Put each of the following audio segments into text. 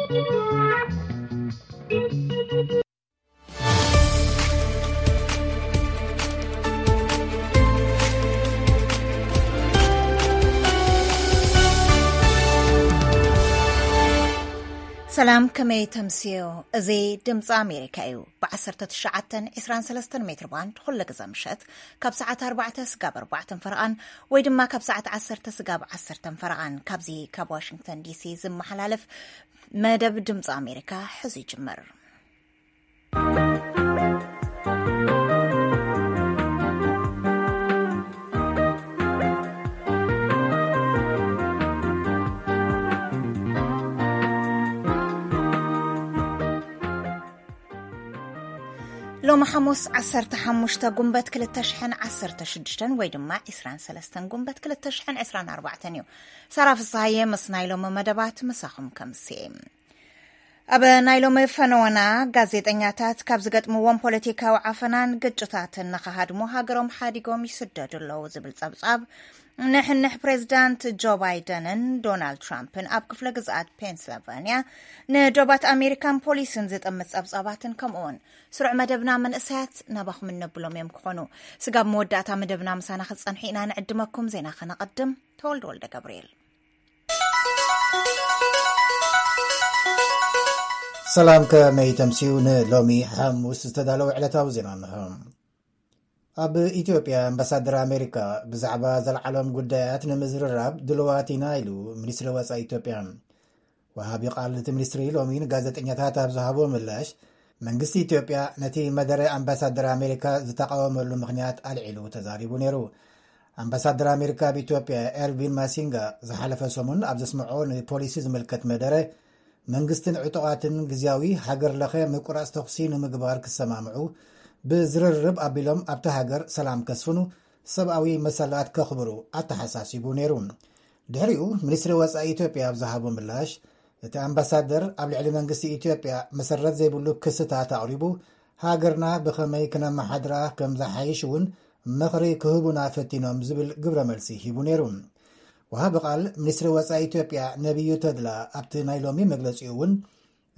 ሰላም፣ ከመይ ተምስዮ? እዚ ድምፂ ኣሜሪካ እዩ። ብ19 23 ሜትር ባንድ ኩሉ ግዘ ምሸት ካብ ሰዓት ኣርባዕተ ስጋብ ኣርባዕተን ፈረቓን ወይ ድማ ካብ ሰዓት ዓሰርተ ስጋብ ዓሰርተን ፈረቓን ካብዚ ካብ ዋሽንግተን ዲሲ ዝመሓላለፍ መደብ ድምፂ ኣሜሪካ ሕዚ ይጅምር። ሎሚ ሓሙስ ዓሰርተ ሓሙሽተ ጉንበት ክልተ ሽሕን ዓሰርተ ሽዱሽተን ወይ ድማ ዕስራን ሰለስተን ጉንበት ክልተ ሽሕን ዕስራን ኣርባዕተን እዩ። ሳራ ፍስሃየ ምስ ናይ ሎሚ መደባት ምሳኹም ከምስየ። ኣብ ናይ ሎሚ ፈነወና፣ ጋዜጠኛታት ካብ ዝገጥምዎም ፖለቲካዊ ዓፈናን ግጭታትን ንኸሃድሙ ሃገሮም ሓዲጎም ይስደዱ ኣለዉ ዝብል ጸብጻብ፣ ንሕንሕ ፕሬዚዳንት ጆ ባይደንን ዶናልድ ትራምፕን ኣብ ክፍለ ግዝኣት ፔንስልቫንያ ንዶባት ኣሜሪካን ፖሊስን ዝጥምት ጸብጻባትን ከምኡውን ስሩዕ መደብና መንእሰያት ናባኹም እነብሎም እዮም ክኾኑ። ስጋብ መወዳእታ መደብና ምሳና ክትጸንሑ ኢና ንዕድመኩም። ዜና ከነቐድም። ተወልደ ወልደ ገብርኤል። ሰላም፣ ከመይ ተምስዩ? ንሎሚ ሓሙስ ዝተዳለወ ዕለታዊ ዜና እንሆ። ኣብ ኢትዮጵያ ኣምባሳደር ኣሜሪካ ብዛዕባ ዘልዓሎም ጉዳያት ንምዝርራብ ድልዋት ኢና ኢሉ ሚኒስትሪ ወጻኢ ኢትዮጵያ። ወሃቢ ቃል እቲ ሚኒስትሪ ሎሚ ንጋዜጠኛታት ኣብ ዝሃቦ ምላሽ፣ መንግስቲ ኢትዮጵያ ነቲ መደረ ኣምባሳደር ኣሜሪካ ዝተቃወመሉ ምኽንያት ኣልዒሉ ተዛሪቡ ነይሩ። ኣምባሳደር ኣሜሪካ ኣብ ኢትዮጵያ ኤርቪን ማሲንጋ ዝሓለፈ ሰሙን ኣብ ዘስምዖ ንፖሊሲ ዝምልከት መደረ፣ መንግስትን ዕጡቓትን ግዝያዊ ሃገር ለኸ ምቁራጽ ተኹሲ ንምግባር ክሰማምዑ፣ ብዝርርብ ኣቢሎም ኣብቲ ሃገር ሰላም ከስፍኑ፣ ሰብኣዊ መሰላት ከኽብሩ ኣተሓሳሲቡ ነይሩ። ድሕሪኡ ሚኒስትሪ ወጻኢ ኢትዮጵያ ኣብ ዝሃቦ ምላሽ፣ እቲ ኣምባሳደር ኣብ ልዕሊ መንግስቲ ኢትዮጵያ መሰረት ዘይብሉ ክስታት ኣቕሪቡ፣ ሃገርና ብኸመይ ክነመሓድራ ከም ዝሓይሽ እውን ምኽሪ ክህቡና ፈቲኖም ዝብል ግብረ መልሲ ሂቡ ነይሩ። ወሃቢ ቃል ሚኒስትሪ ወጻኢ ኢትዮጵያ ነቢዩ ተድላ ኣብቲ ናይ ሎሚ መግለጺኡ እውን፣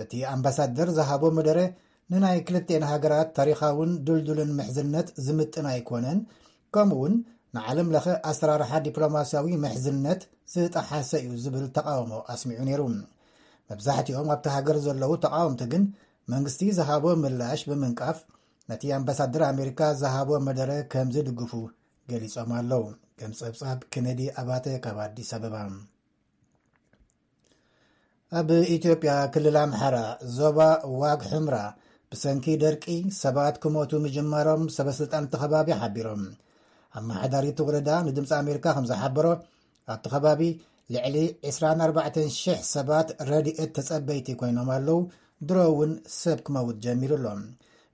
እቲ ኣምባሳደር ዝሃቦ መደረ ንናይ ክልቴን ሃገራት ታሪኻውን ድልዱልን ምሕዝነት ዝምጥን ኣይኮነን፣ ከምኡውን ንዓለም ለኸ ኣሰራርሓ ዲፕሎማስያዊ ምሕዝነት ዝጠሓሰ እዩ ዝብል ተቃውሞ ኣስሚዑ ነይሩ። መብዛሕትኦም ኣብቲ ሃገር ዘለዉ ተቃወምቲ ግን መንግስቲ ዝሃቦ ምላሽ ብምንቃፍ፣ ነቲ ኣምባሳደር ኣሜሪካ ዝሃቦ መደረ ከም ዝድግፉ ገሊጾም ኣለዉ። ከም ጸብጻብ ኬነዲ ኣባተ ካብ ኣዲስ ኣበባ። ኣብ ኢትዮጵያ ክልል ኣምሓራ ዞባ ዋግ ሕምራ ብሰንኪ ደርቂ ሰባት ክሞቱ ምጅማሮም ሰበስልጣን እቲ ከባቢ ሓቢሮም። ኣመሓዳሪ እቲ ወረዳ ንድምፂ ኣሜሪካ ከም ዝሓበሮ፣ ኣብቲ ከባቢ ልዕሊ ዕስራን ኣርባዕተን ሽሕ ሰባት ረድኤት ተጸበይቲ ኮይኖም ኣለዉ። ድሮ እውን ሰብ ክመውት ጀሚሩ ኣሎ።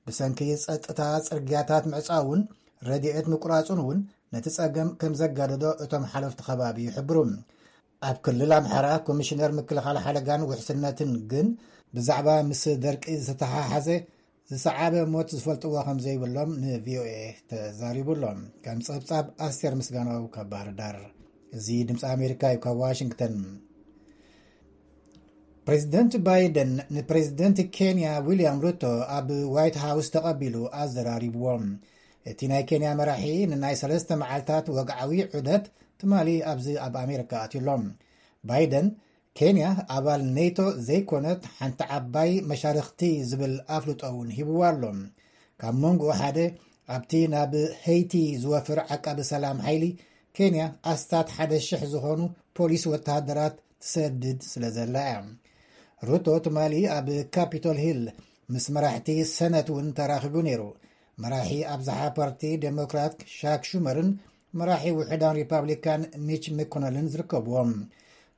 ብሰንኪ ጸጥታ ጽርግያታት ምዕጻውን ረድኤት ምቁራጹን እውን ነቲ ጸገም ከም ዘጋደዶ እቶም ሓለፍቲ ከባቢ ይሕብሩ። ኣብ ክልል ኣምሓራ ኮሚሽነር ምክልኻል ሓደጋን ውሕስነትን ግን ብዛዕባ ምስ ደርቂ ዝተሓሓዘ ዝሰዓበ ሞት ዝፈልጥዎ ከም ዘይብሎም ንቪኦኤ ተዛሪቡ ኣሎ። ከም ጸብጻብ ኣስቴር ምስጋናው ካብ ባህር ዳር። እዚ ድምፂ ኣሜሪካ እዩ ካብ ዋሽንግተን። ፕሬዚደንት ባይደን ንፕሬዚደንት ኬንያ ዊልያም ሩቶ ኣብ ዋይት ሃውስ ተቐቢሉ ኣዘራሪብዎም። እቲ ናይ ኬንያ መራሒ ንናይ ሰለስተ መዓልታት ወግዓዊ ዑደት ትማሊ ኣብዚ ኣብ ኣሜሪካ ኣትዩ ኣሎ። ባይደን፣ ኬንያ ኣባል ኔቶ ዘይኮነት ሓንቲ ዓባይ መሻርኽቲ ዝብል ኣፍልጦ እውን ሂብዋ ኣሎ። ካብ መንጎ ሓደ ኣብቲ ናብ ሄይቲ ዝወፍር ዓቃቢ ሰላም ሓይሊ ኬንያ ኣስታት ሓደ ሽሕ ዝኾኑ ፖሊስ ወተሃደራት ትሰድድ ስለ ዘላ እያ። ሩቶ ትማሊ ኣብ ካፒቶል ሂል ምስ መራሕቲ ሰነት እውን ተራኺቡ ነይሩ። መራሒ ኣብዝሓ ፓርቲ ዴሞክራት ሻክ ሹመርን መራሒ ውሑዳን ሪፓብሊካን ሚች መኮነልን ዝርከብዎም።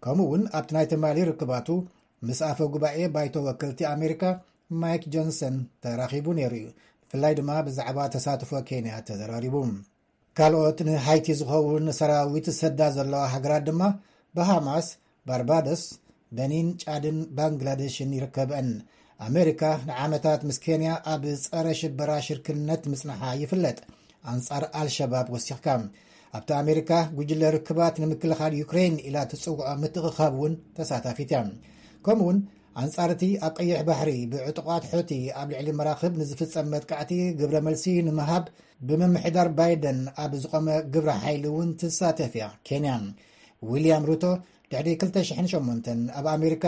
ከምኡ እውን ኣብቲ ናይ ትማሊ ርክባቱ ምስ ኣፈ ጉባኤ ባይቶ ወከልቲ ኣሜሪካ ማይክ ጆንሰን ተራኺቡ ነይሩ እዩ። ብፍላይ ድማ ብዛዕባ ተሳትፎ ኬንያ ተዘራሪቡ። ካልኦት ንሃይቲ ዝኸውን ሰራዊት ዝሰዳ ዘለዋ ሃገራት ድማ ባሃማስ፣ ባርባዶስ፣ በኒን፣ ጫድን ባንግላደሽን ይርከብአን። ኣሜሪካ ንዓመታት ምስ ኬንያ ኣብ ጸረ ሽበራ ሽርክነት ምጽንሓ ይፍለጥ። ኣንጻር ኣልሸባብ ወሲኽካ። ኣብቲ ኣሜሪካ ጉጅለ ርክባት ንምክልኻል ዩክሬን ኢላ ትጽውዖ ምትእኽኻብ እውን ተሳታፊት እያ። ከምኡውን ኣንጻር እቲ ኣብ ቀይሕ ባሕሪ ብዕጡቓት ሑቲ ኣብ ልዕሊ መራኽብ ንዝፍጸም መጥቃዕቲ ግብረ መልሲ ንምሃብ ብምምሕዳር ባይደን ኣብ ዝቖመ ግብረ ሓይሊ እውን ትሳተፍ እያ ኬንያ። ዊልያም ሩቶ ድሕሪ ክልተ ሽሕን ሸሞንተን ኣብ ኣሜሪካ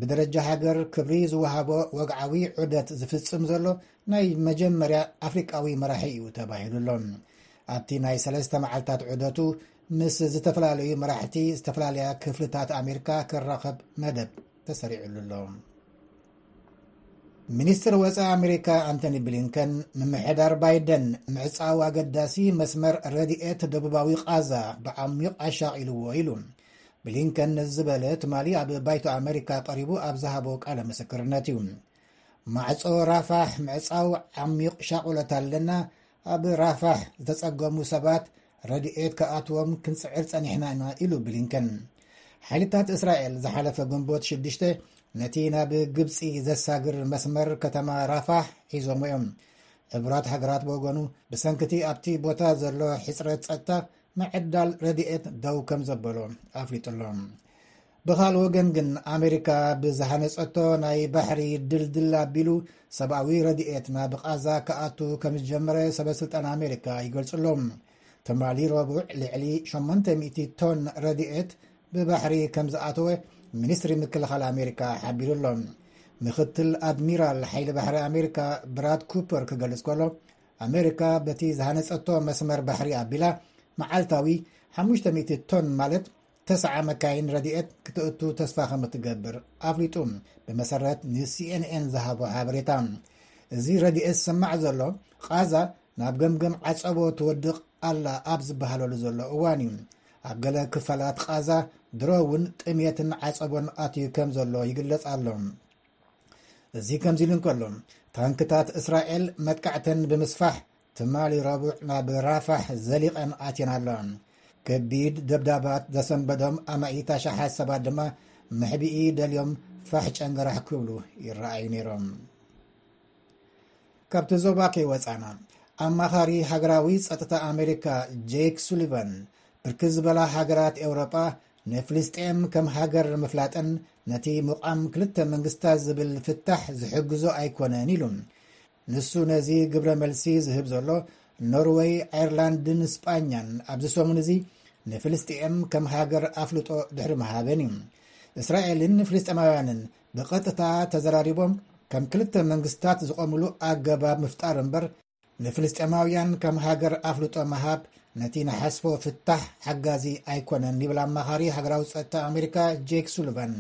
ብደረጃ ሃገር ክብሪ ዝወሃቦ ወግዓዊ ዑደት ዝፍጽም ዘሎ ናይ መጀመርያ ኣፍሪቃዊ መራሒ እዩ ተባሂሉ ኣሎ። ኣብቲ ናይ ሰለስተ መዓልታት ዑደቱ ምስ ዝተፈላለዩ መራሕቲ ዝተፈላለያ ክፍልታት ኣሜሪካ ክራኸብ መደብ ተሰሪዑሉ ኣሎ። ሚኒስትር ወፃኢ ኣሜሪካ ኣንቶኒ ብሊንከን፣ ምምሕዳር ባይደን ምዕፃው ኣገዳሲ መስመር ረድኤት ደቡባዊ ቃዛ ብዓሚቕ ኣሻቒልዎ ኢሉ። ብሊንከን ነዚ ዝበለ ትማሊ ኣብ ባይቶ ኣሜሪካ ቀሪቡ ኣብ ዝሃቦ ቃለ ምስክርነት እዩ። ማዕጾ ራፋሕ ምዕጻው ዓሚቕ ሻቑለት ኣለና፣ ኣብ ራፋሕ ዝተጸገሙ ሰባት ረድኤት ክኣትዎም ክንጽዕር ጸኒሕና ኢና ኢሉ ብሊንከን። ሓይልታት እስራኤል ዝሓለፈ ግንቦት ሽዱሽተ ነቲ ናብ ግብጺ ዘሳግር መስመር ከተማ ራፋሕ ሒዞሞ እዮም። ሕቡራት ሃገራት ብወገኑ ብሰንክቲ ኣብቲ ቦታ ዘሎ ሕጽረት ጸጥታ ምዕዳል ረድኤት ደው ከም ዘበሎ ኣፍሊጡ ኣሎ። ብኻል ወገን ግን ኣሜሪካ ብዝሃነጸቶ ናይ ባሕሪ ድልድል ኣቢሉ ሰብኣዊ ረድኤት ናብ ቃዛ ክኣቱ ከም ዝጀመረ ሰበ ስልጣን ኣሜሪካ ይገልጹ ኣለዉ። ትማሊ ረቡዕ ልዕሊ ሸሞንተ ሚእቲ ቶን ረድኤት ብባሕሪ ከም ዝኣተወ ሚኒስትሪ ምክልኻል ኣሜሪካ ሓቢሩ ኣሎ። ምክትል ኣድሚራል ሓይሊ ባሕሪ ኣሜሪካ ብራድ ኩፐር ክገልጽ ከሎ፣ ኣሜሪካ በቲ ዝሃነጸቶ መስመር ባሕሪ ኣቢላ መዓልታዊ ሓሙሽተ ሚእቲ ቶን ማለት ተስዓ መካይን ረድኤት ክትእቱ ተስፋ ከም እትገብር ኣፍሊጡ፣ ብመሰረት ንሲኤንኤን ዝሃቦ ሓበሬታ። እዚ ረድኤት ዝስማዕ ዘሎ ቃዛ ናብ ገምገም ዓጸቦ ትወድቕ ኣላ ኣብ ዝበሃለሉ ዘሎ እዋን እዩ። ኣብ ገለ ክፋላት ቃዛ ድሮ እውን ጥሜትን ዓጸቦን ኣትዩ ከም ዘሎ ይግለጽ ኣሎ። እዚ ከምዚ ኢሉ እንከሎ፣ ታንክታት እስራኤል መጥቃዕተን ብምስፋሕ ትማሊ ረቡዕ ናብ ራፋሕ ዘሊቐን ኣትየን ኣለዋ። ከቢድ ደብዳባት ዘሰንበዶም ኣማኢት ኣሽሓት ሰባት ድማ መሕብኢ ደልዮም ፋሕ ጨንገራሕ ክብሉ ይረኣዩ ነይሮም። ካብቲ ዞባ ከይወጻና፣ ኣማኻሪ ሃገራዊ ጸጥታ ኣሜሪካ ጄክ ሱሊቫን፣ ብርክት ዝበላ ሃገራት ኤውሮጳ ንፍልስጤም ከም ሃገር ምፍላጠን ነቲ ምቋም ክልተ መንግስታት ዝብል ፍታሕ ዝሕግዞ ኣይኮነን ኢሉ። ንሱ ነዚ ግብረ መልሲ ዝህብ ዘሎ ኖርወይ፣ ኣየርላንድን ስጳኛን ኣብዚ ሰሙን እዚ ንፍልስጤም ከም ሃገር ኣፍልጦ ድሕሪ ምሃበን እዩ። እስራኤልን ፍልስጤማውያንን ብቐጥታ ተዘራሪቦም ከም ክልተ መንግስታት ዝቖምሉ ኣገባብ ምፍጣር እምበር፣ ንፍልስጤማውያን ከም ሃገር ኣፍልጦ ምሃብ ነቲ ንሓስቦ ፍታሕ ሓጋዚ ኣይኮነን ይብል ኣማኻሪ ሃገራዊ ጸጥታ ኣሜሪካ ጄክ ሱሊቫን።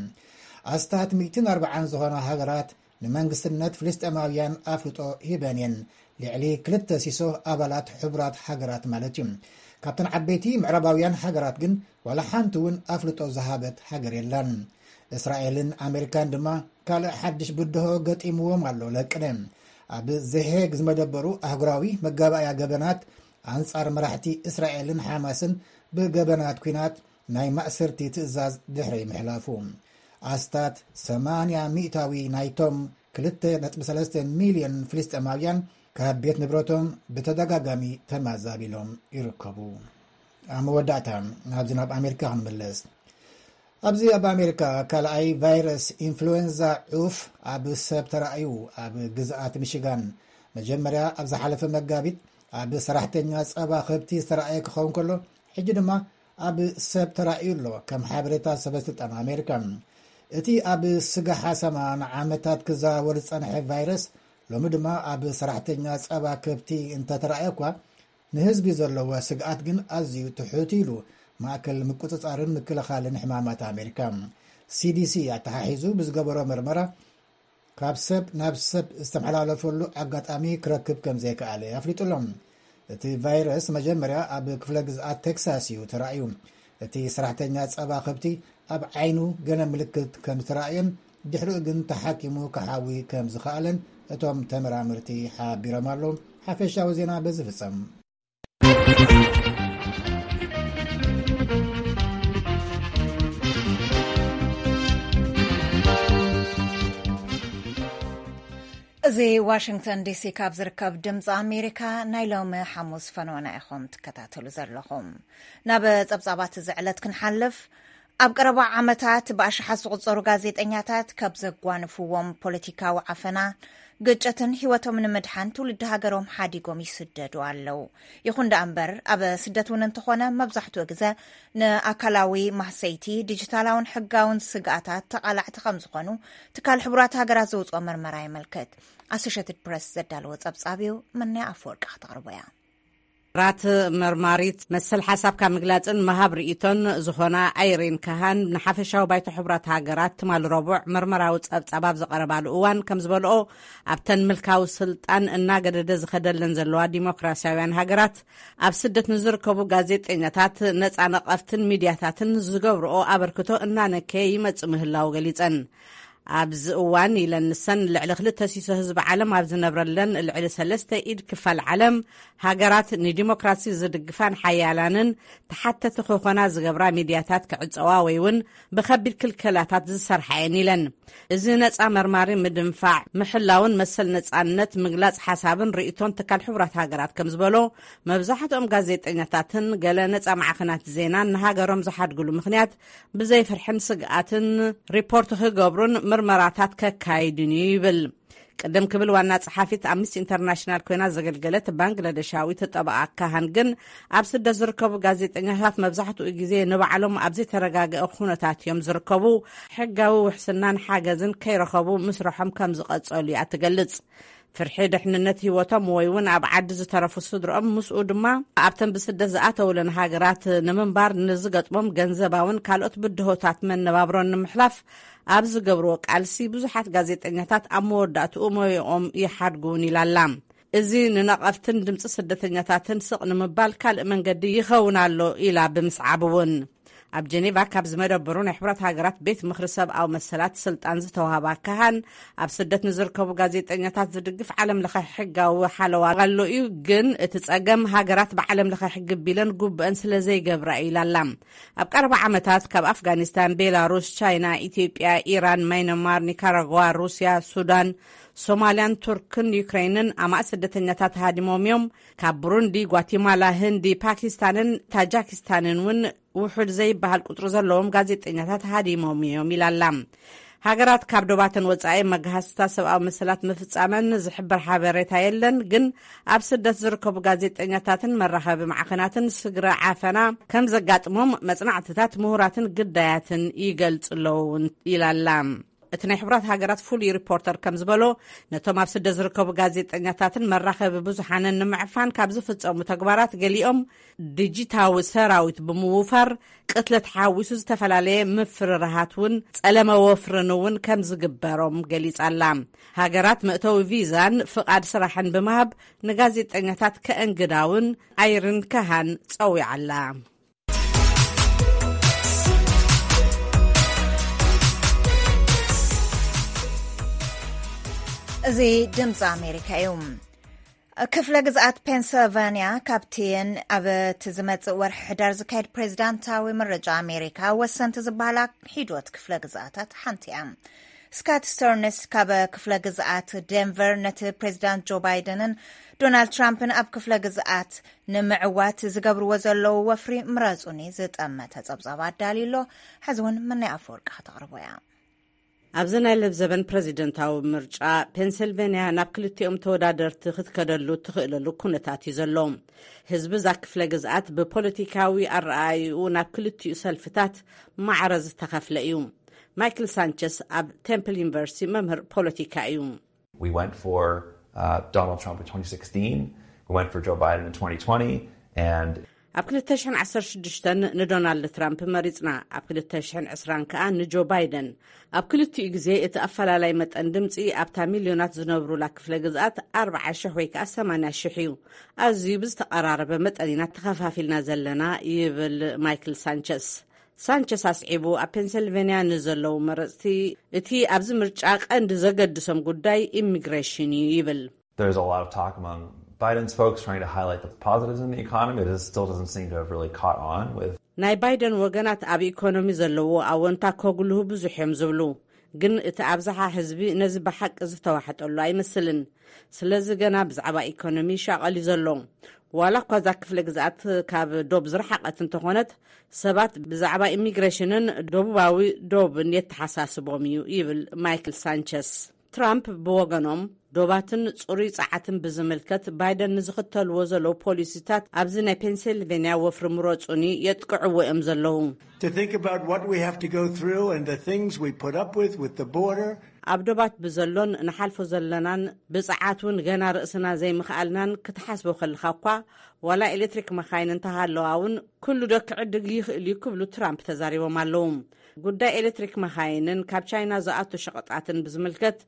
ኣስታት ሚእትን ኣርባዓን ዝኾና ሃገራት ንመንግስትነት ፍልስጤማውያን ኣፍልጦ ሂበን እየን። ልዕሊ ክልተ ሲሶ ኣባላት ሕቡራት ሃገራት ማለት እዩ። ካብተን ዓበይቲ ምዕራባውያን ሃገራት ግን ዋላ ሓንቲ እውን ኣፍልጦ ዝሃበት ሃገር የላን። እስራኤልን ኣሜሪካን ድማ ካልእ ሓድሽ ብድሆ ገጢምዎም ኣሎ። ለቅነ ኣብ ዘሄግ ዝመደበሩ ኣህጉራዊ መጋባእያ ገበናት ኣንጻር መራሕቲ እስራኤልን ሓማስን ብገበናት ኲናት ናይ ማእሰርቲ ትእዛዝ ድሕሪ ምሕላፉ፣ ኣስታት ሰማንያ ሚእታዊ ናይቶም ክልተ ነጥቢ ሰለስተ ሚልዮን ፍልስጤማውያን ካብ ቤት ንብረቶም ብተደጋጋሚ ተማዛቢሎም ይርከቡ። ኣብ መወዳእታ፣ ናብዚ ናብ ኣሜሪካ ክንምለስ። ኣብዚ ኣብ ኣሜሪካ ካልኣይ ቫይረስ ኢንፍሉዌንዛ ዑፍ ኣብ ሰብ ተራእዩ። ኣብ ግዝኣት ሚሽጋን መጀመርያ ኣብ ዝሓለፈ መጋቢት ኣብ ሰራሕተኛ ጸባ ከብቲ ዝተራእየ ክኸውን ከሎ፣ ሕጂ ድማ ኣብ ሰብ ተራእዩ ኣሎ፣ ከም ሓበሬታ ሰበስልጣን ኣሜሪካ። እቲ ኣብ ስጋ ሓሰማ ንዓመታት ክዘዋወር ዝጸንሐ ቫይረስ ሎሚ ድማ ኣብ ሰራሕተኛ ጸባ ከብቲ እንተተራእየ እኳ፣ ንህዝቢ ዘለዎ ስግኣት ግን ኣዝዩ ትሑት ኢሉ ማእከል ምቁጽጻርን ምክልኻልን ሕማማት ኣሜሪካ፣ ሲዲሲ፣ ኣተሓሒዙ ብዝገበሮ መርመራ፣ ካብ ሰብ ናብ ሰብ ዝተመሓላለፈሉ ኣጋጣሚ ክረክብ ከም ዘይከኣለ ኣፍሊጡ ኣሎ። እቲ ቫይረስ መጀመርያ ኣብ ክፍለ ግዝኣት ቴክሳስ እዩ ተራእዩ። እቲ ሰራሕተኛ ጸባ ከብቲ ኣብ ዓይኑ ገለ ምልክት ከም ዝተራእየን ድሕሪኡ ግን ተሓኪሙ ክሓዊ ከም ዝኸኣለን እቶም ተመራመርቲ ሓቢሮም ኣለዉ። ሓፈሻዊ ዜና በዚ ፍጸም። እዚ ዋሽንግተን ዲሲ ካብ ዝርከብ ድምፂ ኣሜሪካ ናይ ሎሚ ሓሙስ ፈነወና ኢኹም ትከታተሉ ዘለኹም። ናብ ጸብጻባት እዚ ዕለት ክንሓልፍ፣ ኣብ ቀረባ ዓመታት ብኣሽሓት ዝቑጸሩ ጋዜጠኛታት ካብ ዘጓንፍዎም ፖለቲካዊ ዓፈና፣ ግጭትን ህይወቶም ንምድሓን ትውልዲ ሃገሮም ሓዲጎም ይስደዱ ኣለዉ። ይኹን ደኣ እምበር፣ ኣብ ስደት እውን እንተኾነ፣ መብዛሕትኡ ግዘ ንኣካላዊ ማህሰይቲ፣ ዲጂታላውን ሕጋውን ስግኣታት ተቓላዕቲ ከም ዝኾኑ ትካል ሕቡራት ሃገራት ዘውፅኦ መርመራ የመልክት። ኣሶሼትድ ፕረስ ዘዳለዎ ጸብጻብ እዩ፣ መናይ ኣፈወርቂ ከተቕርቦ እያ። ራት መርማሪት መሰል ሓሳብካ ምግላጽን ምሃብ ርእይቶን ዝኾና ኣይሪን ካሃን ንሓፈሻዊ ባይቶ ሕቡራት ሃገራት ትማሊ ረቡዕ መርመራዊ ጸብጻብ ኣብ ዘቐረባሉ እዋን ከም ዝበልኦ፣ ኣብተን ምልካዊ ስልጣን እናገደደ ዝኸደለን ዘለዋ ዲሞክራሲያውያን ሃገራት፣ ኣብ ስደት ንዝርከቡ ጋዜጠኛታት፣ ነጻ ነቐፍትን ሚድያታትን ዝገብርኦ ኣበርክቶ እናነከየ ይመጽእ ምህላው ገሊጸን። ኣብዚ እዋን ኢለን ንሰን፣ ልዕሊ ክልተ ሲሶ ህዝቢ ዓለም ኣብ ዝነብረለን ልዕሊ ሰለስተ ኢድ ክፋል ዓለም፣ ሃገራት ንዲሞክራሲ ዝድግፋን ሓያላንን ተሓተቲ ክኾና ዝገብራ ሚድያታት ክዕጸዋ ወይ እውን ብኸቢድ ክልከላታት ዝሰርሓ እየን ኢለን። እዚ ነጻ መርማሪ ምድንፋዕ፣ ምሕላውን መሰል ነጻነት ምግላጽ ሓሳብን ርእይቶን ትካል ሕቡራት ሃገራት ከም ዝበሎ፣ መብዛሕትኦም ጋዜጠኛታትን ገለ ነጻ ማዕኸናት ዜናን ንሃገሮም ዝሓድግሉ ምኽንያት ብዘይ ፍርሕን ስግኣትን ሪፖርት ክገብሩን ምርመራታት ከካይዱን እዩ ይብል። ቅድም ክብል ዋና ጸሓፊት ኣምነስቲ ኢንተርናሽናል ኮይና ዘገልገለት ባንግላደሻዊት ጠበቓ ካሃን ግን፣ ኣብ ስደት ዝርከቡ ጋዜጠኛታት መብዛሕትኡ ግዜ ንባዕሎም ኣብ ዘይተረጋገአ ኩነታት እዮም ዝርከቡ፣ ሕጋዊ ውሕስናን ሓገዝን ከይረኸቡ ምስርሖም ከም ዝቐጸሉ እያ ትገልጽ። ፍርሒ ድሕንነት ህይወቶም ወይ እውን ኣብ ዓዲ ዝተረፉ ስድርኦም፣ ምስኡ ድማ ኣብተን ብስደት ዝኣተውለን ሃገራት ንምንባር ንዝገጥሞም ገንዘባውን ካልኦት ብድሆታት መነባብሮን ንምሕላፍ ኣብ ዝገብርዎ ቃልሲ፣ ብዙሓት ጋዜጠኛታት ኣብ መወዳእትኡ ሞያኦም ይሓድጉ እውን ኢላ ኣላ። እዚ ንነቐፍትን ድምፂ ስደተኛታትን ስቕ ንምባል ካልእ መንገዲ ይኸውን ኣሎ ኢላ ብምስዓብ እውን፣ ኣብ ጀኔቫ ካብ ዝመደበሩ ናይ ሕቡራት ሃገራት ቤት ምኽሪ ሰብኣዊ መሰላት ስልጣን ዝተዋህባ ካሃን፣ ኣብ ስደት ንዝርከቡ ጋዜጠኛታት ዝድግፍ ዓለም ለኸ ሕጋዊ ሓለዋ ኣሎ እዩ፣ ግን እቲ ጸገም ሃገራት ብዓለም ለኸ ሕጊ ቢለን ጉብአን ስለ ዘይገብራ እዩ ኢላ ኣላ። ኣብ ቀረባ ዓመታት ካብ ኣፍጋኒስታን፣ ቤላሩስ፣ ቻይና፣ ኢትዮጵያ፣ ኢራን፣ ማይነማር፣ ኒካራጓ፣ ሩስያ፣ ሱዳን፣ ሶማልያን ቱርክን ዩክሬንን ኣማእ ስደተኛታት ሃዲሞም እዮም። ካብ ብሩንዲ፣ ጓቲማላ፣ ህንዲ፣ ፓኪስታንን ታጃኪስታንን እውን ውሑድ ዘይበሃል ቁጽሪ ዘለዎም ጋዜጠኛታት ሃዲሞም እዮም ኢላ ኣላ። ሃገራት ካብ ዶባተን ወጻኢ መግሃስታት ሰብኣዊ መሰላት ምፍጻመን ዝሕብር ሓበሬታ የለን፣ ግን ኣብ ስደት ዝርከቡ ጋዜጠኛታትን መራኸቢ ማዕኸናትን ስግረ ዓፈና ከም ዘጋጥሞም መጽናዕትታት ምሁራትን ግዳያትን ይገልጹ ኣለዉ እውን ኢላ ኣላ። እቲ ናይ ሕቡራት ሃገራት ፍሉይ ሪፖርተር ከም ዝበሎ፣ ነቶም ኣብ ስደት ዝርከቡ ጋዜጠኛታትን መራኸቢ ብዙሓንን ንምዕፋን ካብ ዝፍጸሙ ተግባራት ገሊኦም፣ ዲጂታዊ ሰራዊት ብምውፋር፣ ቅትለት ሓዊሱ ዝተፈላለየ ምፍርራሃት እውን፣ ጸለመ ወፍርን እውን ከም ዝግበሮም ገሊጻ ኣላ። ሃገራት መእተዊ ቪዛን ፍቓድ ስራሕን ብምሃብ ንጋዜጠኛታት ከእንግዳ እውን ኣይርን ካሃን ጸዊዓ ኣላ። እዚ ድምፂ ኣሜሪካ እዩ። ክፍለ ግዝኣት ፔንስልቫንያ ካብቲ ኣብ እቲ ዝመጽእ ወርሒ ሕዳር ዝካየድ ፕሬዚዳንታዊ ምርጫ ኣሜሪካ ወሰንቲ ዝበሃላ ሒዶት ክፍለ ግዝኣታት ሓንቲ እያ። ስካት ስተርንስ ካብ ክፍለ ግዝኣት ዴንቨር ነቲ ፕሬዚዳንት ጆ ባይደንን ዶናልድ ትራምፕን ኣብ ክፍለ ግዝኣት ንምዕዋት ዝገብርዎ ዘለዉ ወፍሪ ምረጹኒ ዝጠመተ ጸብጻብ ኣዳልዩ ኣሎ። ሕዚ እውን መናይ ኣፈወርቂ ከተቕርቦ እያ። ኣብዚ ናይ ለብዘበን ፕረዚደንታዊ ምርጫ፣ ፔንስልቬንያ ናብ ክልቲኦም ተወዳደርቲ ክትከደሉ እትኽእለሉ ኩነታት እዩ ዘሎ። ህዝቢ እዛ ክፍለ ግዝኣት ብፖለቲካዊ ኣረኣእይኡ ናብ ክልቲኡ ሰልፍታት ማዕረ ዝተኸፍለ እዩ። ማይክል ሳንቸስ ኣብ ቴምፕል ዩኒቨርሲቲ መምህር ፖለቲካ እዩ። We went for uh, Donald Trump in twenty sixteen. We went for Joe Biden in twenty twenty. And ኣብ ክልተ ሽሕን ዓሰርተ ሽዱሽተን ንዶናልድ ትራምፕ መሪጽና፣ ኣብ ክልተ ሽሕን ዕስራን ከኣ ንጆ ባይደን። ኣብ ክልቲኡ ግዜ እቲ ኣፈላላይ መጠን ድምጺ ኣብታ ሚልዮናት ዝነብሩላ ክፍለ ግዝኣት ኣርብዓ ሽሕ ወይ ከኣ ሰማንያ ሽሕ እዩ። ኣዝዩ ብዝተቐራረበ መጠን ኢና ተኸፋፊልና ዘለና፣ ይብል ማይክል ሳንቸስ። ሳንቸስ ኣስዒቡ፣ ኣብ ፔንሰልቬንያ ንዘለዉ መረጽቲ እቲ ኣብዚ ምርጫ ቀንዲ ዘገድሶም ጉዳይ ኢሚግሬሽን እዩ ይብል። There's a lot of talk among Biden's folks trying to highlight the positives in the economy. This still doesn't seem to have really caught on with ናይ ባይደን ወገናት ኣብ ኢኮኖሚ ዘለዎ ኣወንታ ከጉልሁ ብዙሕ እዮም ዝብሉ። ግን እቲ ኣብዝሓ ህዝቢ ነዚ ብሓቂ ዝተዋሕጠሉ ኣይመስልን። ስለዚ ገና ብዛዕባ ኢኮኖሚ ይሻቐል እዩ ዘሎ። ዋላ እኳ እዛ ክፍለ ግዝኣት ካብ ዶብ ዝረሓቐት እንተኾነት፣ ሰባት ብዛዕባ ኢሚግሬሽንን ደቡባዊ ዶብን የተሓሳስቦም እዩ፣ ይብል ማይክል ሳንቸስ። ትራምፕ ብወገኖም፣ ዶባትን ጽሩይ ጸዓትን ብዝምልከት ባይደን ንዝኽተልዎ ዘለዉ ፖሊሲታት ኣብዚ ናይ ፔንሲልቬንያ ወፍሪ ምረጹኒ የጥቅዕዎ እዮም ዘለዉ። To think about what we have to go through and the things we put up with with the border. ኣብ ዶባት ብዘሎን ንሓልፎ ዘለናን ብጽዓት እውን ገና ርእስና ዘይምኽኣልናን ክትሓስቦ ከለኻ እኳ፣ ዋላ ኤሌክትሪክ መኻይን እንተሃለዋ እውን ኩሉ ዶ ክዕድግ ይኽእል እዩ ክብሉ ትራምፕ ተዛሪቦም ኣለዉ። ጉዳይ ኤሌክትሪክ መኻይንን ካብ ቻይና ዝኣቱ ሸቐጣትን ብዝምልከት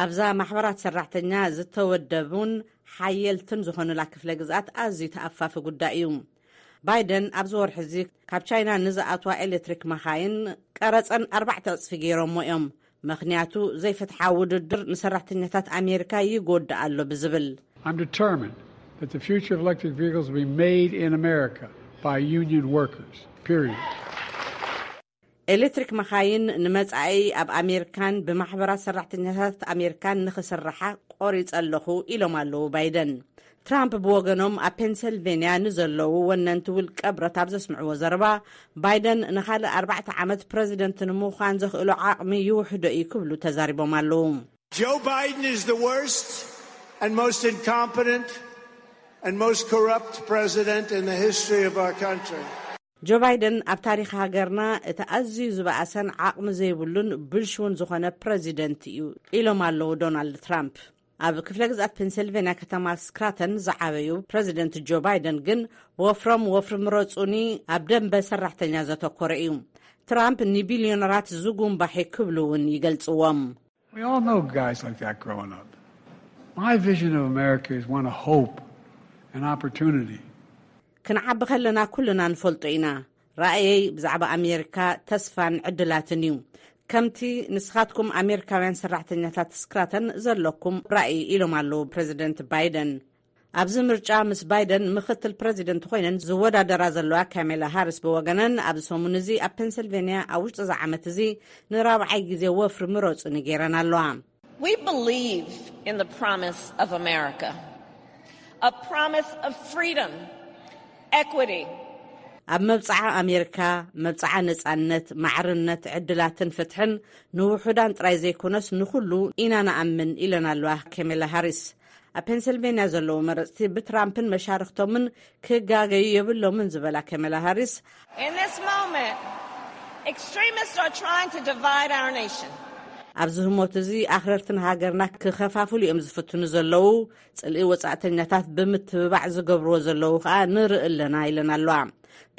ኣብዛ ማሕበራት ሰራሕተኛ ዝተወደቡን ሓየልትን ዝኾኑላ ክፍለ ግዝኣት ኣዝዩ ተኣፋፊ ጉዳይ እዩ። ባይደን ኣብዚ ወርሒ እዚ ካብ ቻይና ንዝኣትዋ ኤሌክትሪክ መኻይን ቀረጸን ኣርባዕተ ዕጽፊ ገይሮሞ እዮም። ምኽንያቱ ዘይፍትሓዊ ውድድር ንሰራሕተኛታት ኣሜሪካ ይጎድእ ኣሎ ብዝብል። I'm determined that the future of electric vehicles will be made in America by union workers, period. ኤሌክትሪክ መኻይን ንመጻኢ ኣብ ኣሜሪካን ብማሕበራት ሰራሕተኛታት ኣሜሪካን ንኽስርሓ ቆሪጸ ኣለኹ ኢሎም ኣለዉ ባይደን። ትራምፕ ብወገኖም ኣብ ፔንሰልቬንያ ንዘለዉ ወነንቲ ውልቀ ብረት ኣብ ዘስምዕዎ ዘረባ፣ ባይደን ንኻልእ ኣርባዕተ ዓመት ፕረዚደንት ንምዃን ዘኽእሎ ዓቕሚ ይውሕዶ እዩ ክብሉ ተዛሪቦም ኣለዉ። Joe Biden is the worst and most incompetent and most corrupt president in the history of our country. ጆ ባይደን ኣብ ታሪኽ ሃገርና እቲ ኣዝዩ ዝበኣሰን ዓቕሚ ዘይብሉን ብልሽውን ዝኾነ ፕረዚደንት እዩ ኢሎም ኣለዉ ዶናልድ ትራምፕ። ኣብ ክፍለ ግዝኣት ፔንሰልቬንያ ከተማ ስክራተን ዝዓበዩ ፕረዚደንት ጆ ባይደን ግን ወፍሮም ወፍሪ ምረጹኒ ኣብ ደንበ ሰራሕተኛ ዘተኮረ እዩ። ትራምፕ ንቢልዮነራት ዝጉንባሕ ክብሉ እውን ይገልጽዎም። We all know guys like that growing up. My vision of America is one of hope and opportunity. ክንዓቢ ከለና ኩልና ንፈልጦ ኢና። ራእየይ ብዛዕባ ኣሜሪካ ተስፋን ዕድላትን እዩ። ከምቲ ንስኻትኩም ኣሜሪካውያን ሰራሕተኛታት ስክራተን ዘለኩም ራእይ ኢሎም ኣለዉ ፕረዚደንት ባይደን። ኣብዚ ምርጫ ምስ ባይደን ምኽትል ፕረዚደንት ኮይነን ዝወዳደራ ዘለዋ ካሜላ ሃሪስ ብወገነን ኣብዚ ሰሙን እዚ ኣብ ፔንሰልቬንያ ኣብ ውሽጢ እዚ ዓመት እዚ ንራብዓይ ግዜ ወፍሪ ምረጹኒ ገይረን ኣለዋ። We believe in the promise of America, a promise of freedom, equity. ኣብ መብጽዓ ኣሜሪካ፣ መብጽዓ ነጻነት፣ ማዕርነት፣ ዕድላትን ፍትሕን ንውሑዳን ጥራይ ዘይኮነስ ንኹሉ ኢና ንኣምን ኢለን ኣለዋ ካሜላ ሃሪስ። ኣብ ፔንሰልቬንያ ዘለዉ መረጽቲ ብትራምፕን መሻርኽቶምን ክጋገዩ የብሎምን ዝበላ ካሜላ ሃሪስ፣ In this moment, extremists are trying to divide our nation. ኣብዚ ህሞት እዚ ኣኽረርቲ ንሃገርና ክኸፋፍሉ እዮም ዝፍትኑ ዘለዉ። ጽልኢ ወጻእተኛታት ብምትብባዕ ዝገብርዎ ዘለዉ ከኣ ንርኢ ኣለና ኢለን ኣለዋ።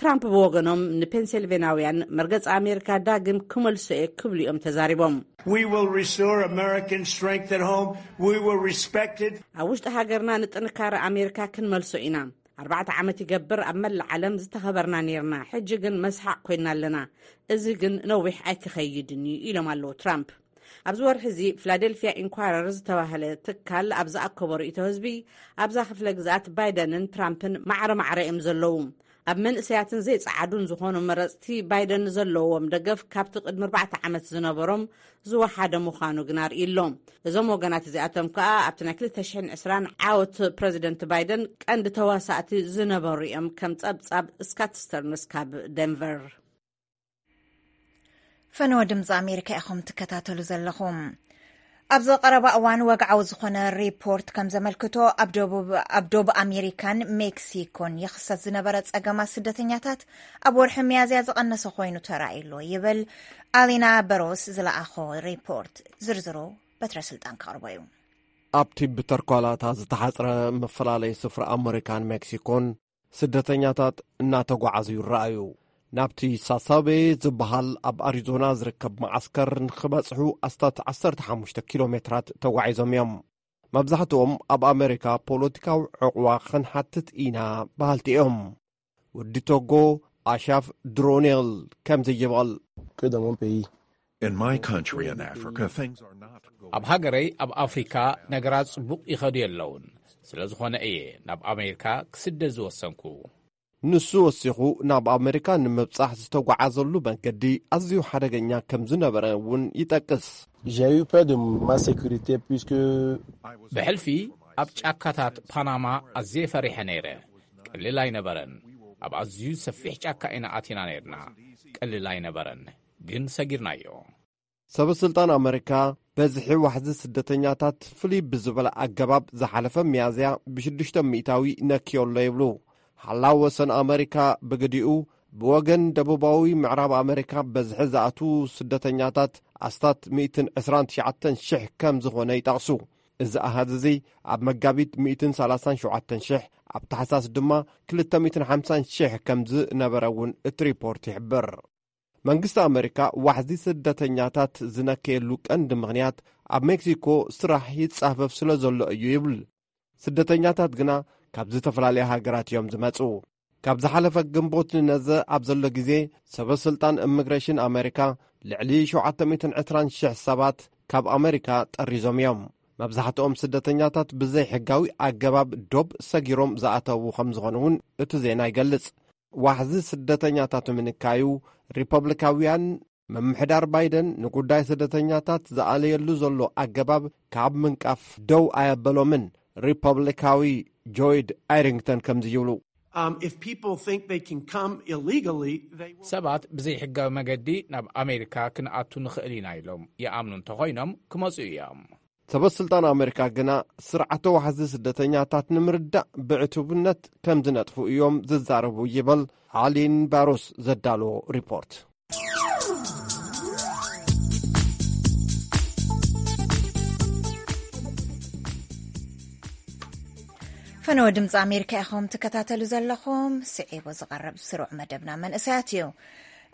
ትራምፕ ብወገኖም ንፔንሲልቬናውያን መርገጺ ኣሜሪካ ዳግም ክመልሶ እየ ክብሉ እዮም ተዛሪቦም። We will restore American strength at home. We will respect it. ኣብ ውሽጢ ሃገርና ንጥንካረ ኣሜሪካ ክንመልሶ ኢና። ኣርባዕተ ዓመት ይገብር ኣብ መላእ ዓለም ዝተኸበርና ነይርና፣ ሕጂ ግን መስሓቕ ኮይና ኣለና። እዚ ግን ነዊሕ ኣይክኸይድን እዩ ኢሎም ኣለዉ ትራምፕ። ኣብዚ ወርሒ እዚ ፊላደልፊያ ኢንኳረር ዝተባህለ ትካል ኣብ ዝኣከቦ ርእይቶ ህዝቢ ኣብዛ ክፍለ ግዝኣት ባይደንን ትራምፕን ማዕረ ማዕረ እዮም ዘለዉ። ኣብ መንእሰያትን ዘይጸዓዱን ዝኾኑ መረጽቲ ባይደን ዘለዎም ደገፍ ካብቲ ቅድሚ ኣርባዕተ ዓመት ዝነበሮም ዝወሓደ ምዃኑ ግን ኣርእዩ ኣሎ። እዞም ወገናት እዚኣቶም ከኣ ኣብቲ ናይ ክልተ ሽሕን ዕስራን ዓወት ፕረዚደንት ባይደን ቀንዲ ተዋሳእቲ ዝነበሩ እዮም። ከም ጸብጻብ ስካት ስተርንስ ካብ ደንቨር። ፈነወ ድምፂ ኣሜሪካ ኢኹም ትከታተሉ ዘለኹም። ኣብዚ ቀረባ እዋን ወግዓዊ ዝኾነ ሪፖርት ከም ዘመልክቶ ኣብ ደቡብ ኣሜሪካን ሜክሲኮን ይኽሰት ዝነበረ ጸገማት ስደተኛታት ኣብ ወርሒ ሚያዝያ ዝቐነሰ ኮይኑ ተራእዩ ኣሎ ይብል ኣሊና በሮስ ዝለኣኾ ሪፖርት። ዝርዝሩ በትረ ስልጣን ከቕርቦ እዩ። ኣብቲ ብተርኳላታ ዝተሓጽረ መፈላለይ ስፍራ ኣመሪካን ሜክሲኮን ስደተኛታት እናተጓዓዙ ይረኣዩ። ናብቲ ሳሳቤ ዝበሃል ኣብ ኣሪዞና ዝርከብ መዓስከር ንኽበጽሑ ኣስታት ዓሰርተ ሓሙሽተ ኪሎ ሜትራት ተጓዒዞም እዮም። መብዛሕትኦም ኣብ ኣመሪካ ፖለቲካዊ ዕቕዋ ክንሓትት ኢና በሃልቲ እዮም። ወዲ ቶጎ ኣሻፍ ድሮኔል ከምዚ ይበል። In my country in Africa, things are not going ኣብ ሃገረይ ኣብ ኣፍሪካ ነገራት ጽቡቕ ይኸዱ የለውን። ስለ ዝኾነ እየ ናብ ኣሜሪካ ክስደድ ዝወሰንኩ። ንሱ ወሲኹ ናብ ኣሜሪካ ንምብጻሕ ዝተጓዓዘሉ መንገዲ ኣዝዩ ሓደገኛ ከም ዝነበረ እውን ይጠቅስ። J'ai eu peur de ma sécurité puisque ብሕልፊ ኣብ ጫካታት ፓናማ ኣዝየ ፈሪሐ ነይረ። ቀሊል ኣይነበረን። ኣብ ኣዝዩ ሰፊሕ ጫካ ኢና ኣቲና ነይርና። ቀሊል ኣይነበረን፣ ግን ሰጊርናዮ። ሰበ ስልጣን ኣመሪካ በዝሒ ዋሕዚ ስደተኛታት ፍልይ ብዝበለ ኣገባብ ዝሓለፈ ሚያዝያ ብሽዱሽተ ሚእታዊ ነክዮ ኣሎ ይብሉ። ሓላው ወሰን ኣመሪካ ብግዲኡ ብወገን ደቡባዊ ምዕራብ ኣመሪካ በዝሒ ዝኣትዉ ስደተኛታት ኣስታት ሚእትን ዕስራን ትሽዓተን ሽሕ ከም ዝኾነ ይጠቕሱ። እዚ ኣሃዝ እዚ ኣብ መጋቢት ሚእትን ሰላሳን ሸውዓተን ሽሕ፣ ኣብ ታሕሳስ ድማ ክልተ ሚእትን ሓምሳን ሽሕ ከም ዝነበረ እውን እቲ ሪፖርት ይሕብር። መንግስቲ ኣመሪካ ዋሕዚ ስደተኛታት ዝነከየሉ ቀንዲ ምኽንያት ኣብ ሜክሲኮ ስራሕ ይጻፈፍ ስለ ዘሎ እዩ ይብል። ስደተኛታት ግና ካብ ዝተፈላለያ ሃገራት እዮም ዝመጹ። ካብ ዝሓለፈ ግንቦት ንነዘ ኣብ ዘሎ ግዜ ሰበ ስልጣን ኢሚግሬሽን ኣመሪካ ልዕሊ ሸውዓተ ሚእትን ዕስራን ሽሕ ሰባት ካብ ኣመሪካ ጠሪዞም እዮም። መብዛሕትኦም ስደተኛታት ብዘይ ሕጋዊ ኣገባብ ዶብ ሰጊሮም ዝኣተዉ ከም ዝኾኑ እውን እቲ ዜና ይገልጽ። ዋሕዚ ስደተኛታት ምንካዩ ሪፐብሊካውያን ምምሕዳር ባይደን ንጉዳይ ስደተኛታት ዝኣለየሉ ዘሎ ኣገባብ ካብ ምንቃፍ ደው ኣየበሎምን። ሪፐብሊካዊ ጆይድ ኣይሪንግተን ከምዚ ይብሉ። Um, if people think they can come illegally, they will. ሰባት ብዘይ ሕጋዊ መገዲ ናብ ኣሜሪካ ክንኣቱ ንኽእል ኢና ኢሎም ይኣምኑ እንተኾይኖም ክመፁ እዮም። ሰበ ስልጣን ኣመሪካ ግና ስርዓተ ዋሕዚ ስደተኛታት ንምርዳእ ብዕቱብነት ከም ዝነጥፉ እዮም ዝዛረቡ ይበል ኣሊን ባሮስ ዘዳለዎ ሪፖርት። ፈነወ ድምፂ ኣሜሪካ ኢኹም ትከታተሉ ዘለኹም። ስዒቡ ዝቐርብ ስሩዕ መደብና መንእሰያት እዩ።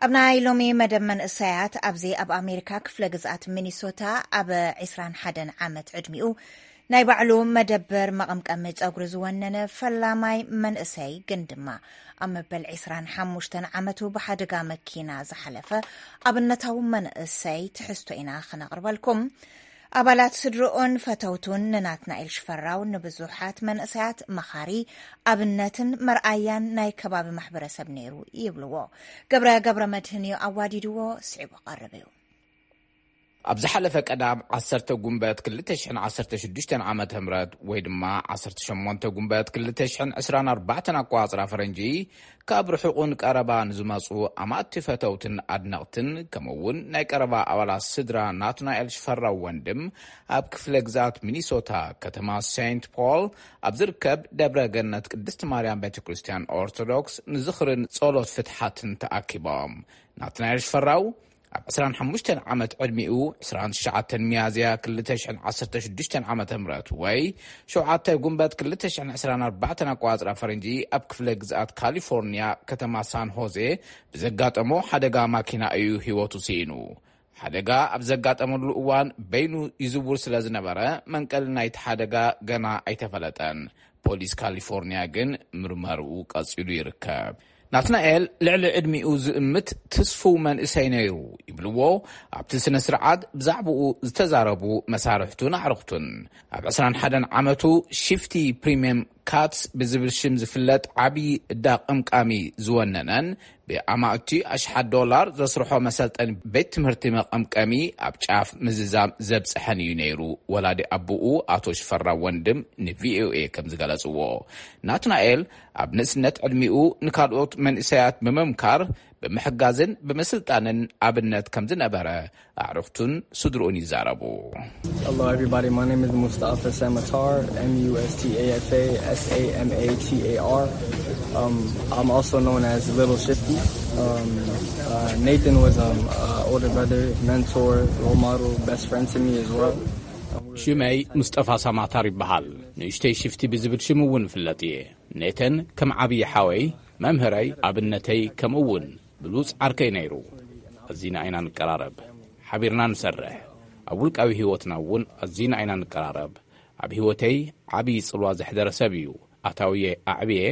ኣብ ናይ ሎሚ መደብ መንእሰያት፣ ኣብዚ ኣብ ኣሜሪካ ክፍለ ግዝኣት ሚኒሶታ ኣብ ዕስራን ሓደን ዓመት ዕድሚኡ ናይ ባዕሉ መደበር መቐምቀሚ ጸጉሪ ዝወነነ ፈላማይ መንእሰይ፣ ግን ድማ ኣብ መበል ዕስራን ሓሙሽተን ዓመቱ ብሓደጋ መኪና ዝሓለፈ ኣብነታዊ መንእሰይ ትሕዝቶ ኢና ክነቕርበልኩም። ኣባላት ስድርኡን ፈተውቱን ንናትናኤል ሽፈራው ንብዙሓት መንእሰያት መኻሪ፣ ኣብነትን መርኣያን ናይ ከባቢ ማሕበረሰብ ነይሩ ይብልዎ። ገብረ ገብረ መድህን እዩ ኣዋዲድዎ፣ ስዒቡ ቀርብ እዩ። ኣብ ዝሓለፈ ቀዳም ዓሰርተ ጉንበት ክልተ ሽሕን ዓሰርተ ሽዱሽተን ዓመተ ምህረት ወይ ድማ ዓሰርተ ሸሞንተ ጉንበት ክልተ ሽሕን ዕስራን ኣርባዕተን ኣቆጻጽራ ፈረንጂ፣ ካብ ርሑቕን ቀረባ ንዝመጹ ኣማእቲ ፈተውትን ኣድነቕትን፣ ከምኡ እውን ናይ ቀረባ ኣባላት ስድራ ናትናኤል ሽፈራው ወንድም፣ ኣብ ክፍለ ግዝኣት ሚኒሶታ ከተማ ሴንት ፖል ኣብ ዝርከብ ደብረ ገነት ቅድስቲ ማርያም ቤተ ክርስቲያን ኦርቶዶክስ ንዝኽርን ጸሎት ፍትሓትን ተኣኪቦም። ናትናኤል ሽፈራው ኣብ ዕስራን ሓሙሽተን ዓመት ዕድሚኡ፣ ዕስራን ትሽዓተን ሚያዝያ ክልተ ሽሕን ዓሰርተ ሽዱሽተን ዓመተ ምህረት ወይ ሸውዓተ ጉንበት ክልተ ሽሕን ዕስራን ኣርባዕተን ኣቆጻጽራ ፈረንጂ፣ ኣብ ክፍለ ግዝኣት ካሊፎርኒያ ከተማ ሳን ሆዜ ብዘጋጠሞ ሓደጋ ማኪና እዩ ህይወቱ ስኢኑ። ሓደጋ ኣብ ዘጋጠመሉ እዋን በይኑ ይዝውር ስለ ዝነበረ፣ መንቀሊ ናይቲ ሓደጋ ገና ኣይተፈለጠን። ፖሊስ ካሊፎርኒያ ግን ምርመርኡ ቀጺሉ ይርከብ። ናትናኤል ልዕሊ ዕድሚኡ ዝእምት ትስፉው መንእሰይ ነይሩ ይብልዎ ኣብቲ ስነ ስርዓት ብዛዕባኡ ዝተዛረቡ መሳርሕቱን ኣዕሩኽቱን። ኣብ ዕስራን ሓደን ዓመቱ ሽፍቲ ፕሪምየም ካትስ ብዝብል ሽም ዝፍለጥ ዓቢ እዳ ቀምቃሚ ዝወነነን ብኣማእቲ ኣሽሓት ዶላር ዘስርሖ መሰልጠኒ ቤት ትምህርቲ መቐምቀሚ ኣብ ጫፍ ምዝዛም ዘብጽሐን እዩ ነይሩ። ወላዲ ኣቦኡ ኣቶ ሽፈራው ወንድም ንቪኦኤ ከም ዝገለጽዎ፣ ናትናኤል ኣብ ንእስነት ዕድሚኡ ንካልኦት መንእሰያት ብምምካር፣ ብምሕጋዝን ብምስልጣንን ኣብነት ከም ዝነበረ ኣዕሩኽቱን ስድርኡን ይዛረቡ። Hello, everybody. My name is Mustafa Samatar, M U S T A F A S A M A T A R. Um, I'm also known as Little Shifty. Um, uh, Nathan was an uh, older brother, mentor, role model, best friend to me as well. ሽመይ ሙስጠፋ ሳማታር ይበሃል። ንእሽተይ ሽፍቲ ብዝብል ሽም እውን እፍለጥ እየ። ኔተን ከም ዓብዪ ሓወይ፣ መምህረይ፣ ኣብነተይ፣ ከምኡ እውን ብሉጽ ዓርከይ ነይሩ። ኣዚና ኢና ንቀራረብ። ሓቢርና ንሰርሕ። ኣብ ውልቃዊ ህይወትና እውን ኣዚና ኢና ንቀራረብ። ኣብ ህይወተይ ዓብዪ ጽልዋ ዘሕደረ ሰብ እዩ። ኣታውየ ኣዕብየ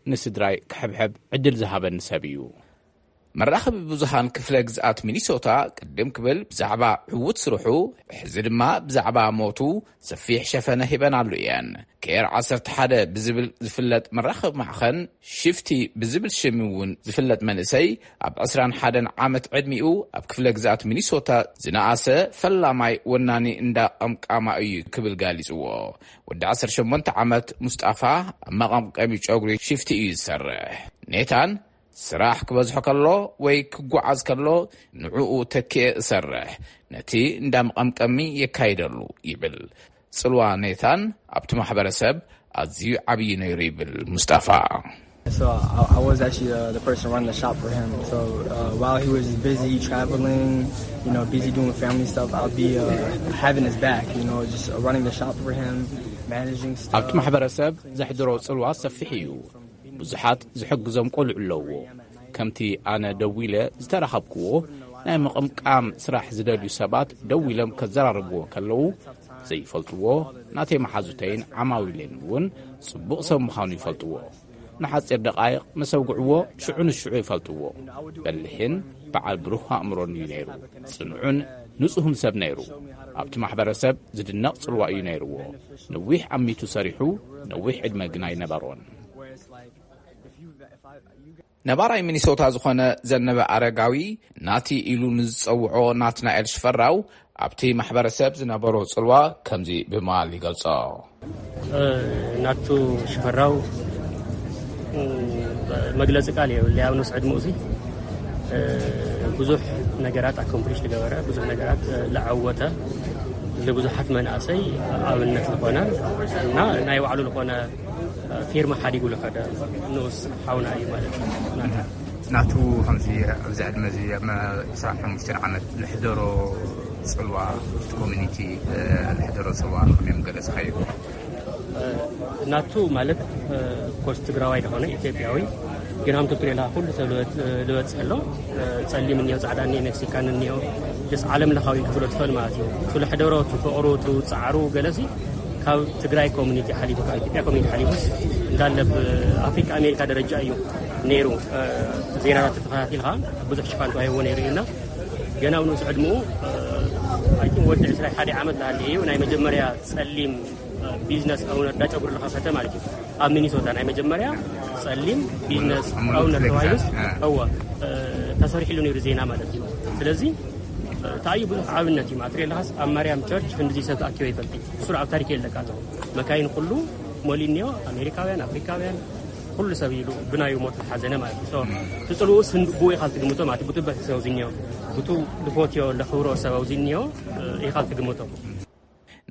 ንስድራይ ክሕብሕብ ዕድል ዝሃበኒ ሰብ እዩ። መራኸቢ ብዙሃን ክፍለ ግዝኣት ሚኒሶታ ቅድም ክብል ብዛዕባ ዕዉት ስርሑ፣ ሕዚ ድማ ብዛዕባ ሞቱ ሰፊሕ ሸፈነ ሂበናሉ እየን። ኬር ዓሰርተ ሓደ ብዝብል ዝፍለጥ መራኸቢ ማዕኸን፣ ሽፍቲ ብዝብል ሽም እውን ዝፍለጥ መንእሰይ፣ ኣብ ዕስራን ሓደን ዓመት ዕድሚኡ ኣብ ክፍለ ግዝኣት ሚኒሶታ ዝነኣሰ ፈላማይ ወናኒ እንዳ ቀምቃማ እዩ ክብል ጋሊጽዎ። ወዲ ዓሰርተ ሸሞንተ ዓመት ሙስጣፋ ኣብ መቐምቀሚ ጨጉሪ ሽፍቲ እዩ ዝሰርሕ። ኔታን ስራሕ ክበዝሖ ከሎ ወይ ክጓዓዝ ከሎ ንዕኡ ተኪኤ እሰርሕ፣ ነቲ እንዳ መቐምቀሚ የካይደሉ ይብል። ጽልዋ ኔታን ኣብቲ ማሕበረሰብ ኣዝዩ ዓብዪ ነይሩ ይብል ሙስጣፋ። So I, I was actually uh, the person running the shop for him. So uh, while he was busy traveling, you know, busy doing family stuff, I'll be uh, having his back, you know, just uh, running the shop for him, managing stuff. ኣብቲ ማሕበረሰብ ዘሕድሮ ጽልዋ ሰፊሕ እዩ። ብዙሓት ዝሕግዞም ቆልዑ ኣለውዎ። ከምቲ ኣነ ደዊለ ዝተራኸብክዎ፣ ናይ ምቕምቃም ስራሕ ዝደልዩ ሰባት ደዊሎም ከዘራርብዎ ከለዉ፣ ዘይፈልጥዎ ናተይ መሓዙተይን ዓማዊለይን እውን ጽቡቕ ሰብ ምዃኑ ይፈልጥዎ። ንሓጺር ደቓይቕ ምስ ኣውግዕዎ፣ ሽዑ ንሽዑ ይፈልጥዎ። በሊሕን በዓል ብሩህ ኣእምሮን እዩ ነይሩ። ጽኑዕን ንጹህን ሰብ ነይሩ። ኣብቲ ማሕበረሰብ ዝድነቕ ጽልዋ እዩ ነይርዎ። ነዊሕ ኣሚቱ ሰሪሑ፣ ነዊሕ ዕድመ ግና ኣይነበሮን። ነባራይ ሚኒሶታ ዝኾነ ዘነበ ኣረጋዊ፣ ናቲ ኢሉ ንዝጸውዖ ናትናኤል ሽፈራው፣ ኣብቲ ማሕበረሰብ ዝነበሮ ጽልዋ ከምዚ ብምባል ይገልጾ። ናቱ ሽፈራው መግለጺ ቃል የብለይ። ኣብ ንኡስ ዕድመኡ እዚ ብዙሕ ነገራት ኣኮምፕሊሽ ዝገበረ፣ ብዙሕ ነገራት ዝዓወተ፣ ንብዙሓት መናእሰይ ኣብነት ዝኾነ እና ናይ ባዕሉ ዝኾነ ፊርማ ሓዲጉ ዝኸደ ንኡስ ሓውና እዩ ማለት እዩ። ናቱ ከምዚ ኣብዚ ዕድመ እዚ ኣብ ዕስራን ሓሙሽተን ዓመት ዝሕደሮ ጽልዋ፣ እቲ ኮሚኒቲ ዝሕደሮ ጽልዋ ከመይ ገለጽካዮ? ናቱ ማለት ኮርስ ትግራዋይ ዝኾነ ኢትዮጵያዊ፣ ግን ሃምቱ ፕሬላ ኩሉ ሰብ ልበጽሕ ኣሎ። ጸሊም እኒኦ፣ ጻዕዳ እኒኦ፣ ሜክሲካን እኒኦ፣ ደስ ዓለም ለኻዊ ክፍሎ ትኽእል ማለት እዩ። እቲ ዝሕደሮ፣ እቲ ፍቕሩ፣ እቲ ጻዕሩ ገለሲ ካብ ትግራይ ኮሚኒቲ ሓሊፉ፣ ካብ ኢትዮጵያ ኮሚኒቲ ሓሊፉስ እንዳለ ብኣፍሪካ ኣሜሪካ ደረጃ እዩ ነይሩ። ዜናታት ተተኸታቲልካ ብዙሕ ሽፋን ተዋሂብዎ ነይሩ እዩ እና ገና ኣብ ንኡስ ዕድመኡ፣ ኣይ ቲንክ ወዲ ዕስራ ሓደ ዓመት ዝሃለ እዩ፣ ናይ መጀመርያ ጸሊም ቢዝነስ ኦውነር፣ እንዳ ጨጉሪ ዝኸፈተ ማለት እዩ። ኣብ ሚኒሶታ ናይ መጀመርያ ጸሊም ቢዝነስ ኦውነር ተባሂሉስ፣ እወ፣ ተሰሪሕሉ ነይሩ ዜና ማለት እዩ። ስለዚ እንታይ እዩ ብዙሕ ኣብነት እዩ። ማትሬላስ ኣብ ማርያም ቸርች ክንድዚ ሰብ ተኣኪበ ይፈልጥ። እሱ ኣብ ታሪክ የለቃቶ። መካይን ኩሉ ሞሊኒዮ፣ ኣሜሪካውያን፣ ኣፍሪካውያን፣ ኩሉ ሰብ ኢሉ ብናዩ ሞት ዝሓዘነ ማለት እዩ። ትጽልኡ ስንድቡ ኢኻል ትግምቶ ማለት እዩ። ብቱ በተሰብ ዝኒዮ፣ ብቱ ልፎትዮ ለኽብሮ ሰብ ኣውዚኒዮ ኢኻል ትግምቶ።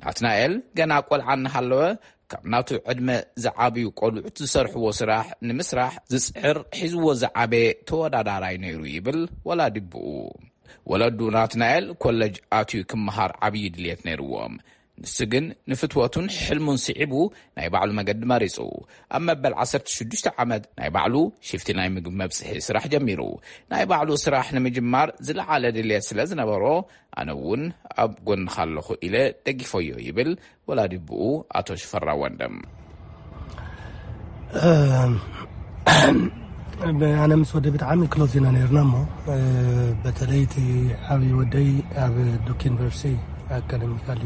ናትናኤል ገና ቆልዓ እናሃለወ ካብ ናቱ ዕድመ ዝዓብዩ ቆልዑት ዝሰርሕዎ ስራሕ ንምስራሕ ዝጽዕር ሒዝዎ ዝዓበየ ተወዳዳራይ ነይሩ ይብል ወላዲ ብኡ። ወለዱ ናትናኤል ኮለጅ ኣትዩ ክመሃር ዓብዪ ድልየት ነይርዎም። ንሱ ግን ንፍትወቱን ሕልሙን ስዒቡ ናይ ባዕሉ መገዲ መሪጹ። ኣብ መበል ዓሰርተ ሽዱሽተ ዓመት ናይ ባዕሉ ሽፍቲ ናይ ምግቢ መብጽሒ ስራሕ ጀሚሩ። ናይ ባዕሉ ስራሕ ንምጅማር ዝለዓለ ድልየት ስለ ዝነበሮ ኣነ እውን ኣብ ጎንኻ ኣለኹ ኢለ ደጊፈዮ ይብል ወላዲ ብኡ ኣቶ ሽፈራ ወንድም። ኣነ ምስ ወደ ብጣዕሚ ክሎዝ ኢና ነርና እሞ በተለይ እቲ ዓብዪ ወደይ ኣብ ዱክ ዩኒቨርሲቲ ኣካደሚካሊ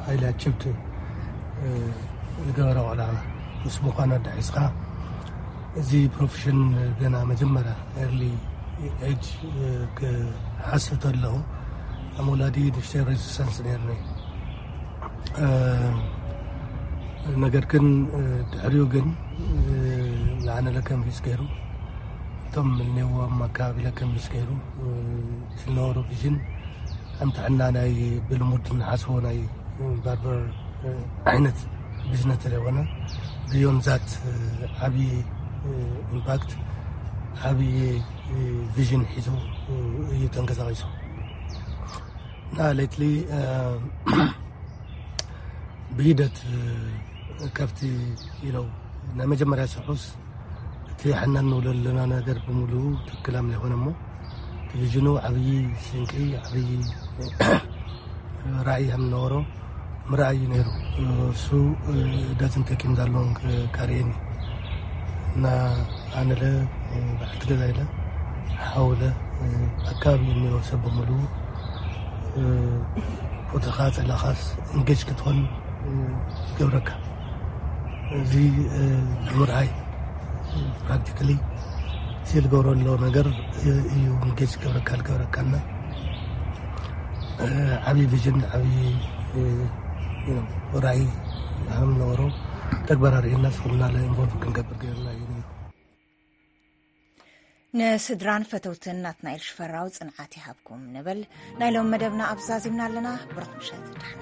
ሃይሊ ኣችብድ ዝገበረ ቆልዓ ምስ ምዃኑ ኣዳሒስካ እዚ ፕሮፌሽን ገና መጀመርያ ኤርሊ ኤጅ ክሓስብ ተለኹ ኣብ ወላዲ ንሽተይ ሬዚስታንስ ነርኒ። ነገር ግን ድሕሪኡ ግን ንዓነ ለከንፊስ ገይሩ እቶም እኒአዎ ኣብ ኣካባቢ ለከንፊስ ገይሩ እቲ ዝነበሩ ቪዥን ከም ጥዕና ናይ ብልሙድ ንሓስቦ ናይ ባርበር ዓይነት ቢዝነስ ተለይኮነ ብዮን ዛት ዓብዪ ኢምፓክት ዓብዪ ቪዥን ሒዙ እዩ ተንቀሳቒሱ እና ሌትሊ ብሂደት ከፍቲ ኢለው ናይ መጀመርያ ስርሑስ እቲ ሕና እንብሎ ዘለና ነገር ብምሉኡ ትክክል ኣም ዘይኮነ እሞ እቲ ቪዥኑ ዓብዪ ስንቂ ዓብዪ ራእይ ከም ዝነበሮ ምርኣይ እዩ ነይሩ። እሱ ዳዝን ተኪም ዳለውን ካርየኒ እና ኣነለ በዓልቲ ገዛ ኢለ ሓውለ ኣካባቢ እኒኦ ሰብ ብምሉ ፎቶኻ ጸላኻስ እንጌጅ ክትኾን ይገብረካ። እዚ ንምርኣይ ፕራክቲካሊ እቲ ዝገብሮ ኣሎ ነገር እዩ እንጌጅ ገብረካ ልገብረካና ዓብዪ ቪዥን ዓብዪ ራእይ ከም ነበሮ ተግባር ኣርእየና ስኹምና ኢንቮልቭ ክንገብር ገይርና እዩ ነይሩ። ንስድራን ፈተውትን ናትናኤል ሽፈራው ጽንዓት ይሃብኩም ንብል። ናይ ሎም መደብና ኣብዛዚምና ኣለና። ብሩኽ ምሸት።